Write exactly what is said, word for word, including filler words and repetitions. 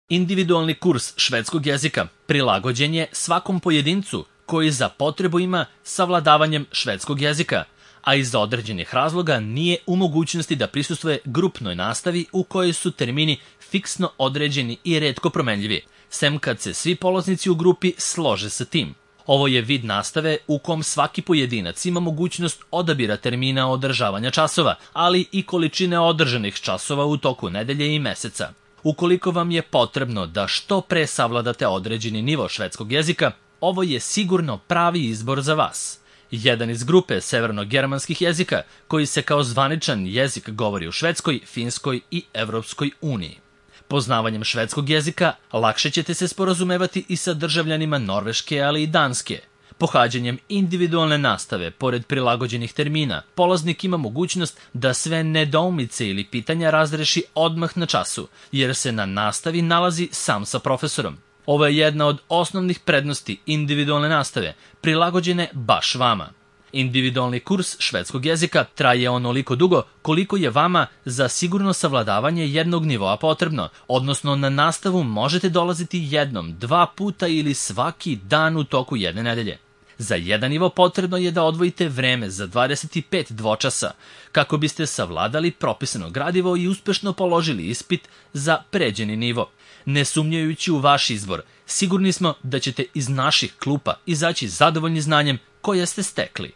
Individualni kurs švedskog jezika prilagođen je svakom pojedincu koji za potrebu ima savladavanjem švedskog jezika, a iz određenih razloga nije u mogućnosti da prisustvuje grupnoj nastavi u kojoj su termini fiksno određeni i retko promenljivi, sem kad se svi polaznici u grupi slože sa tim. Ovo je vid nastave u kom svaki pojedinac ima mogućnost odabira termina održavanja časova, ali i količine održanih časova u toku nedelje i meseca. Ukoliko vam je potrebno da što pre savladate određeni nivo švedskog jezika, ovo je sigurno pravi izbor za vas. Jedan iz grupe severno-germanskih jezika koji se kao zvaničan jezik govori u Švedskoj, Finskoj i Evropskoj uniji. Poznavanjem švedskog jezika lakše ćete se sporazumevati i sa državljanima Norveške, ali i Danske. Pohađanjem individualne nastave, pored prilagođenih termina, polaznik ima mogućnost da sve nedoumice ili pitanja razreši odmah na času, jer se na nastavi nalazi sam sa profesorom. Ovo je jedna od osnovnih prednosti individualne nastave, prilagođene baš vama. Individualni kurs švedskog jezika traje onoliko dugo koliko je vama za sigurno savladavanje jednog nivoa potrebno, odnosno na nastavu možete dolaziti jednom, dva puta ili svaki dan u toku jedne nedelje. Za jedan nivo potrebno je da odvojite vreme za dvadeset pet dvočasa kako biste savladali propisano gradivo i uspešno položili ispit za pređeni nivo. Ne sumnjajući u vaš izbor, sigurni smo da ćete iz naših klupa izaći zadovoljni znanjem koje ste stekli.